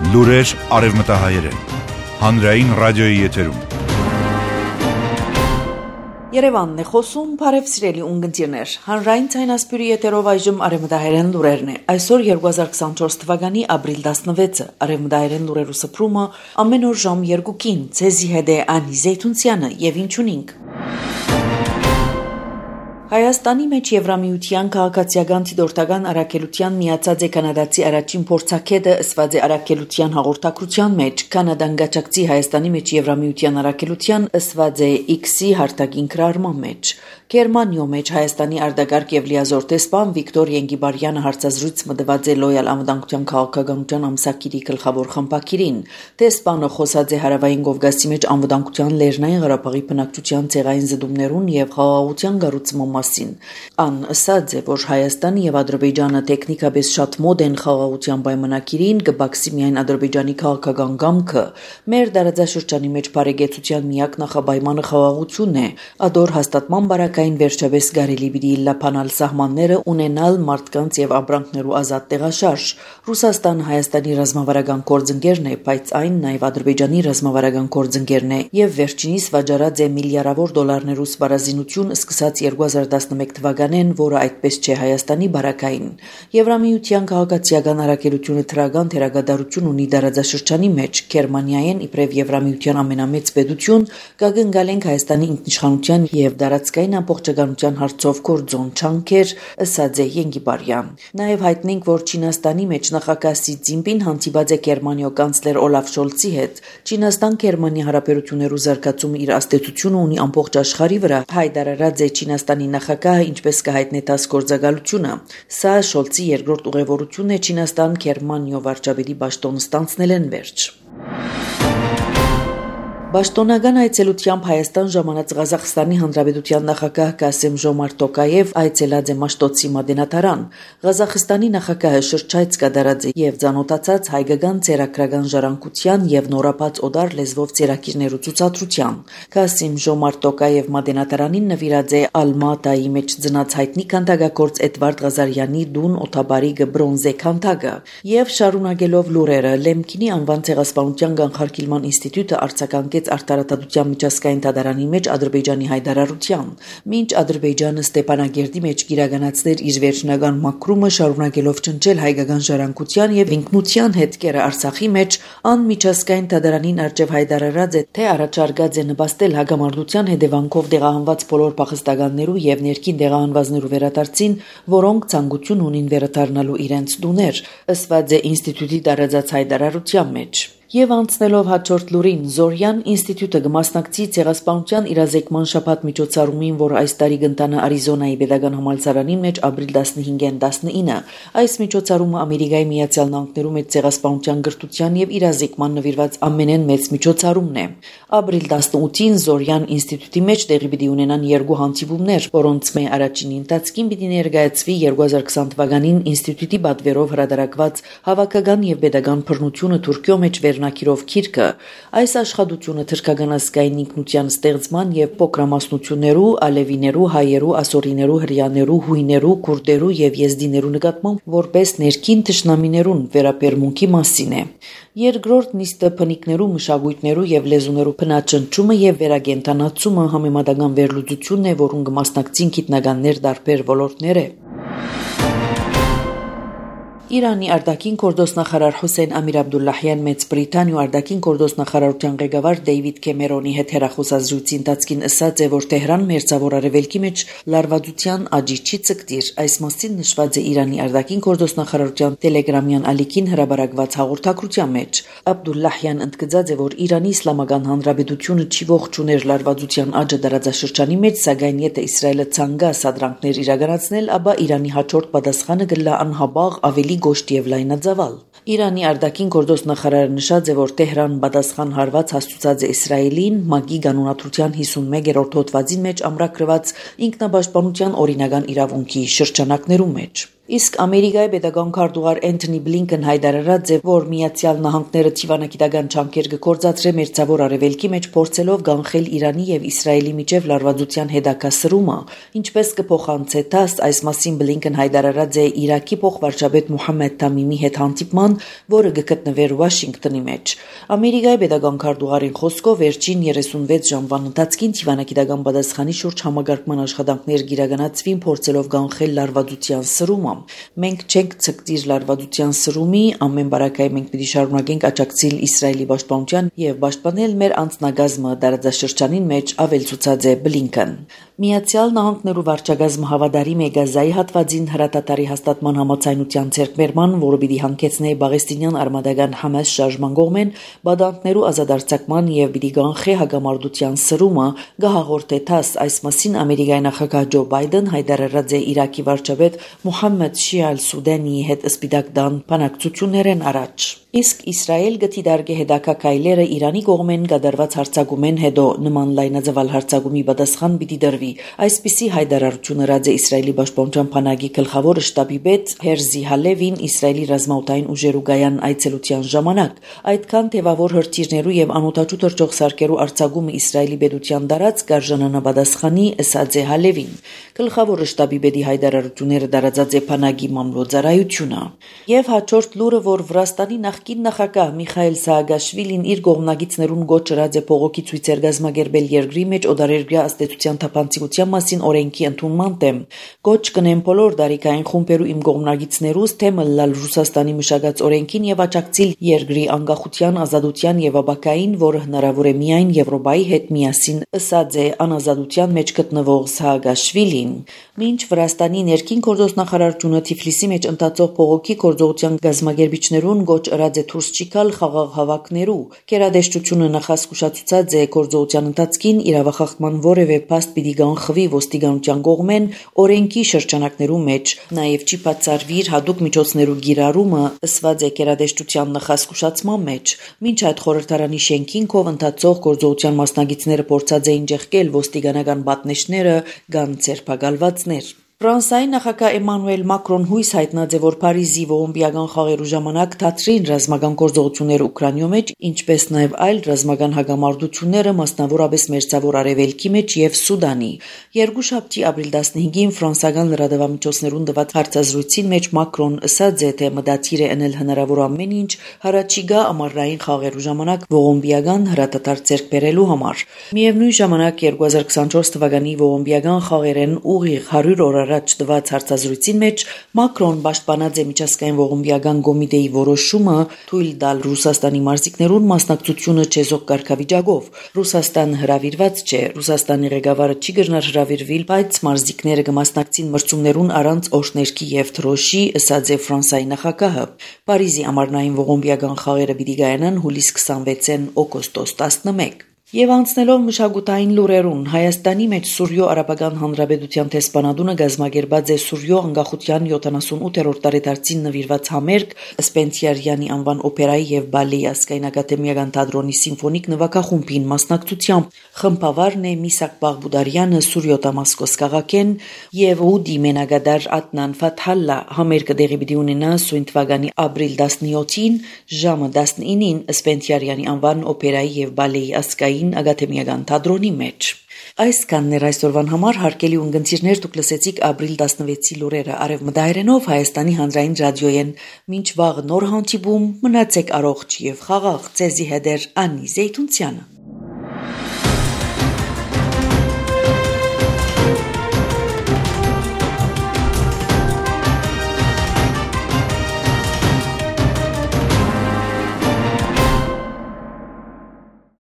Լուրեր արևմտահայերեն, հանրային ռադիոյի եթերում։ Երևանն է խոսում, բարև սիրելի ունգընտիրներ, հանրային ցայնասպյուրի եթերով այժմ արևմտահայերեն լուրերն է։ Այսօր 2024 թվականի ապրիլ 16-ը, արևմտահայերեն լուրերու սփռումը ամեն օր ժամ 2-ին, ցեզի հետ է Անի Զեյթունցյանը եւ ինչ ունենք։ Հայաստանի մեջ Եվրամիության քաղաքացիական դիտորդական առաքելության միացած է կանադացի առաջին փորձագետը ըսված է առաքելության հաղորդակցության մեջ կանադան գաչակցի Հայաստանի մեջ Եվրամիության առաքելության ըսված է X-ի հարտակին քրարման մեջ Գերմանիո մեջ Հայաստանի արտագաղթ եւ լիազոր տեսփան Վիկտոր Ենգիբարյանը հարցազրույց մտված է լոյալ անվտանգության քաղաքականության ամսակիրի գլխավոր խմբակիրին տեսփանը խոսած է հարավային Կովկասի մեջ անվտանգության Լեռնային Ղարաբաղի բնակչության ցեղային զդումներուն եւ խաղաղության գառուցման մասին ան ասած է որ Հայաստանը եւ Ադրբեջանը տեխնիկապես շատ մոտ են խաղաղության պայմանագիրին կբացի միայն Ադրբեջանի քաղաքական գամքը մեր դարաձաշրջանի մեջ բարեկեցության միակ նախապայմանը խաղաղությունն է ադոր հաստատման բարակային վերջապես գարելի պիտի լապանալ սահմանները ունենալ մարդկանց եւ ապրանքներու ազատ տեղաշարժ Ռուսաստանը Հայաստանի ռազմավարական գործընկերն է բայց այն նաեւ Ադրբեջանի ռազմավարական գործընկերն է եւ վերջինիս վաճառած է միլիարդավոր դոլարներու սպառազինություն սկսած 2011 թվականին, որը այդպես չէ Հայաստանի բարակային։ Եվրամիության քաղաքացիական առաքելությունը թրագան թերագադարություն ունի դարաձաշրջանի մեջ Գերմանիայեն իբրև Եվրամիության ամենամեծ պետություն կգնգալենք Հայաստանի ինքնիշխանության եւ դարածքային ամբողջականության հարցով գործոն չանքեր, ըսած է Ենգիբարյան։ Նաեւ հայտնենք, որ Չինաստանի մեջ նախագահ Սի Ցզինպին հանդիպած է Գերմանիո կանցլեր Օլաֆ Շոլցի հետ։ Չինաստան-Գերմանիա հարաբերություններու զարգացումը իր աստեցությունը ունի ամբողջ աշխարհի վրա։ Հայտարարած է Չինաստանի նախագահը ինչպես կհայտնի տաս գործակալությունը։ Սա Շոլցի երկրորդ ուղևորությունն է Չինաստան-Գերմանիո վարչապետի պաշտոնը ստանձնել են վերջ։ Պաշտոնական այցելությամբ Հայաստան ժամանած Ղազախստանի Հանրապետության նախագահ Կասեմ-Ժոմարտ Տոկաև այցելած է Մաշտոցի մատենադարան։ Ղազախստանի նախագահը շրջայց կատարած է եւ ծանոթացած հայկական ցերակրական ժառանգության եւ նորապաց օդար լեզվով ցերակիրներու ցուցադրության։ Կասեմ-Ժոմարտ Տոկաև մատենադարանին նվիրած է Ալմատայի մեջ ծնած հայտնի քանդակագործ Էդվարդ Ղազարյանի դուն օթաբարի բրոնզե քանդակը եւ շարունակելով լուրերը Լեմքինի անվան ցեղասպանության կանխարգելման ինստիտուտը արձագանքեց արտարադատության միջազգային դատարանի մեջ Ադրբեջանի հայտարարության։ Մինչ Ադրբեջանը Ստեփանագերդի մեջ գիրականացներ իր վերջնական մաքրումը շարունակելով ճնճել հայկական ժառանգության եւ ինքնության հետքերը Արցախի մեջ, ան միջազգային դատարանին արժեվ հայտարարած է, թե առաջարկած է նպաստել հագամարտության հետևանքով դեղահանված բոլոր փախստականներու եւ ներքին դեղահանվածներու վերադարձին, որոնք ցանկություն ունին վերադառնալու իրենց տուներ, ըսված է ինստիտուտի տարածած հայտարարության մեջ։ Եվ անցնելով հաջորդ լուրին, Զորյան ինստիտուտը կմասնակցի ցեղասպանության իրազեկման շաբաթ միջոցառումին, որ այս տարի կընթանա Արիզոնայի պետական համալսարանին մեջ ապրիլ 15-ին 19։ Այս միջոցառումը Ամերիկայի Միացյալ Նահանգներու մեջ ցեղասպանության գրթության եւ իրազեկման նվիրված ամենեն մեծ միջոցառումն է։ Ապրիլ 18-ին Զորյան ինստիտուտի մեջ տեղի պիտի ունենան երկու հանդիպումներ, որոնց մե առաջինի ընթացքին պիտի ներկայացվի 2020 թվականին ինստիտուտի պատվերով հրատարակված հավաքական եւ պետական բռնությունը Թուրքիո մեջ Նակիրով քիրքը այս աշխատությունը թրքական ազգային ինքնության ստեղծման եւ փոքրամասնություններու, ալևիներու, հայերու, ասորիներու, հրեաներու, հույներու, քուրդերու եւ եզդիներու նկատմամբ որպես ներքին թշնամիներուն վերաբերմունքի մասին է։ Երկրորդ նիստը փնիկներու, մշակույթներու եւ լեզուներու փնաճնչումը եւ վերագենտանացումը համեմատական վերլուծությունն է, որուն կմասնակցին գիտնականներ տարբեր ոլորտներ է։ Իրանի արտաքին գործոստնախարար Հոսեյն Ամիր Աբդուլլահյան Մեծ Բրիտանիա արտաքին գործոստնախարարության ղեկավար Դեյվիդ Քեմերոնի հետ հեռախոսազրույցի ընթացքին ասաց է, որ Թեհրան մերձավոր արևելքի մեջ լարվածության աճի չի ցկտիր։ Այս մասին նշված է Իրանի արտաքին գործոստնախարարության տելեգրամյան ալիքին հրաբարակված հաղորդակցության մեջ։ Աբդուլլահյան ընդգծած է, որ Իրանի Իսլամական Հանրապետությունը չի ողջուներ լարվածության աճը դարաձաշրջանի մեջ, սակայն եթե Իսրայելը ցանկա սադրանքներ իրականացնել, ապա Իրանի հաջորդ պատասխանը կլա անհաբաղ ավելի գոշտ եւ լայնածավալ։ Իրանի արտաքին գործոստնախարարը նշած է, որ Թեհրան պատասխան հարված հաստուցած է Իսրայելին ՄԱԿ-ի կանոնադրության 51-րդ հոդվածի մեջ ամրագրված ինքնապաշտպանության օրինական իրավունքի շրջանակներում մեջ։ Իսկ Ամերիկայի պետական քարտուղար Էնթոնի Բլինքեն հայտարարած է, որ Միացյալ Նահանգները թիվանագիտական ջանքեր կգործադրե մերձավոր արևելքի մեջ փորձելով կանխել Իրանի եւ Իսրայելի միջև լարվածության հետագասրումը, ինչպես կփոխանցե ՏԱՍՍ, այս մասին Բլինքեն հայտարարած է Իրաքի փոխվարչապետ Մոհամմեդ Թամիմի հետ հանդիպման, որը կգտնվեր Վաշինգտոնի մեջ։ Ամերիկայի պետական քարտուղարին խոսքով վերջին 36 ժամվան ընթացքին թիվանագիտական պատասխանի շուրջ համագարկման աշխատանքներ կիրականացվին փորձելով կանխել լարվածության սրումը։ Մենք չենք ցկտիր լարվածության սրումի, ամեն բարակայի մենք պիտի շարունակենք աջակցել Իսրայելի պաշտպանության եւ պաշտպանել մեր անձնագազմը տարածաշրջանին մեջ, ավելցուցած է Բլինքեն։ Միացյալ Նահանգներու վարչագազմը հավատարիմ է Գազայի հատվածին հրատատարի հաստատման համաձայնության ձեռքբերման, որը պիտի հանգեցնի Պաղեստինյան արմատական Համաս շարժման կողմեն բադանտներու ազատարձակման եւ պիտի կանխի հագամարտության սրումը, գահաղորդե ՏԱՍՍ, այս մասին Ամերիկայի նախագահ Ջո Բայդեն հայտարարած է Իրաքի վարչապետ Մոհամմեդ Շիա Ալ-Սուդանի հետ Սպիտակ տան բանակցություններեն առաջ։ Իսկ Իսրայել գտիդարգե հետաքակայլերը Իրանի կողմեն կատարված հարձակումեն հետո նման լայնածավալ հարձակումի պատասխան պիտի դրվի։ Այսպիսի հայտարարություն արած է Իսրայելի պաշտպանության բանակի գլխավոր շտաբի պետ Հերզի Հալևին Իսրայելի ռազմաօդային ուժերու գայան այցելության ժամանակ։ Այդքան թևավոր հրթիռներու եւ անօդաչու թռչող սարքերու արձակումը Իսրայելի պետության դարած կարժանանա պատասխանի, ըսած է Հալևին։ Գլխավոր շտաբի պետի հայտարարությունները դարածած է բանակի մամլոյցարայությունը։ Եվ հաջորդ լուրը, որ Վրաստանի նախկին նախագահ Միխայել Սաակաշվիլին իր կողմնակիցներուն գոչ ըրած է փողոքի ցույցեր գազմագերբել երկրի մեջ օդարերգրյա աստեցության թափանցիկության մասին օրենքի ընդունման դեմ։ Գոչ կնեն բոլոր դարիքային խումբերու իմ կողմնակիցներուս թե մլալ Ռուսաստանի մշակած օրենքին եւ աջակցել երկրի անկախության, ազատության եւ ապակային, որը հնարավոր է միայն Եվրոպայի հետ միասին, ըսած է անազատության մեջ գտնվող Սաակաշվիլին։ Մինչ Վրաստանի ներքին գործոս նախարարությունը Թիֆլիսի մեջ ընթացող փողոքի գործողության գազմագերբիչներուն գոչ ըրած է դուրս չգալ խաղաղ հավաքներու։ Գերադեսչությունը նախասկուշացուցած է գործողության ընթացքին իրավախախտման որևէ փաստ պիտի կանխվի ոստիկանության կողմեն օրենքի շրջանակներու մեջ, նաև չի բացառվիր հատուկ միջոցներու գիրառումը, ըսված է գերադեսչության նախասկուշացման մեջ։ Մինչ այդ խորհրդարանի շենքին կով ընթացող գործողության մասնակիցները փորձած էին ջեղկել ոստիկանական պատնեշները կամ ցերպակալվածներ։ Ֆրանսիայի նախագահ Էմանուել Մակրոն հույս հայտնած է, որ Փարիզի ողոմբիական խաղերու ժամանակ դադրին ռազմական գործողությունները Ուկրաինայում մեջ, ինչպես նաև այլ ռազմական հագամարտությունները, մասնավորապես Մերձավոր Արևելքի մեջ եւ Սուդանի։ Երկուշաբթի ապրիլ 15-ին ֆրանսիական լրատվամիջոցներուն տված հարցազրույցին մեջ Մակրոն ասաց է, թե մտադիր է անել հնարավոր ամեն ինչ հառաջիկա ամառային խաղերու ժամանակ ողոմբիական հրատատար ձեռք բերելու համար։ Միևնույն ժամանակ 2024 թվականի ողոմբիական խաղերեն ուղիղ 100 օր առաջ տված հարցազրույցին մեջ Մակրոն պաշտպանած է միջազգային ողոմբիական կոմիտեի որոշումը թույլ տալ Ռուսաստանի մարզիկներուն մասնակցությունը չեզոք կարգավիճակով։ Ռուսաստանը հրավիրված չէ, Ռուսաստանի ղեկավարը չի գնար հրավիրվել, բայց մարզիկները կմասնակցին մրցումներուն առանց օրհներքի եւ թրոշի, ըսած է Ֆրանսիայի նախագահը։ Փարիզի ամառնային ողոմբիական խաղերը պիտի կայանան հուլիս 26-ին օգոստոս 11։ Եվ անցնելով մշակութային լուրերուն, Հայաստանի մեջ Սուրյո Արաբական Հանրապետության տեսփանատունը գազմագերբած է Սուրյո անկախության 78-րդ տարեդարձին նվիրված համերգ Սպենսիարյանի անվան օպերայի եւ բալեի ազգային ակադեմիական թատրոնի սիմֆոնիկ նվագախումբին մասնակցությամբ խմբավարն է Միսակ Բաղբուդարյանը, Սուրյո Դամասկոս քաղաքեն եւ ուդի մենագադար Ադնան Ֆաթհալլա։ Համերգը տեղի պիտի ունենա սույն թվականի ապրիլ 17-ին ժամը 19-ին Սպենսիարյանի անվան օպերայի եւ բալեի ազգային ակադեմիական թատրոնի մեջ։ Այսքանն էր այսօրվան համար, հարգելի ունգընտիրներ, դուք լսեցիք ապրիլ 16-ի լուրերը Արևմտահայերենով Հայաստանի հանրային ռադիոյեն։ Մինչ վաղ նոր հանդիպում, մնացեք առողջ եւ խաղաղ, ձեզի հետ է Անի Զեյթունցյանը։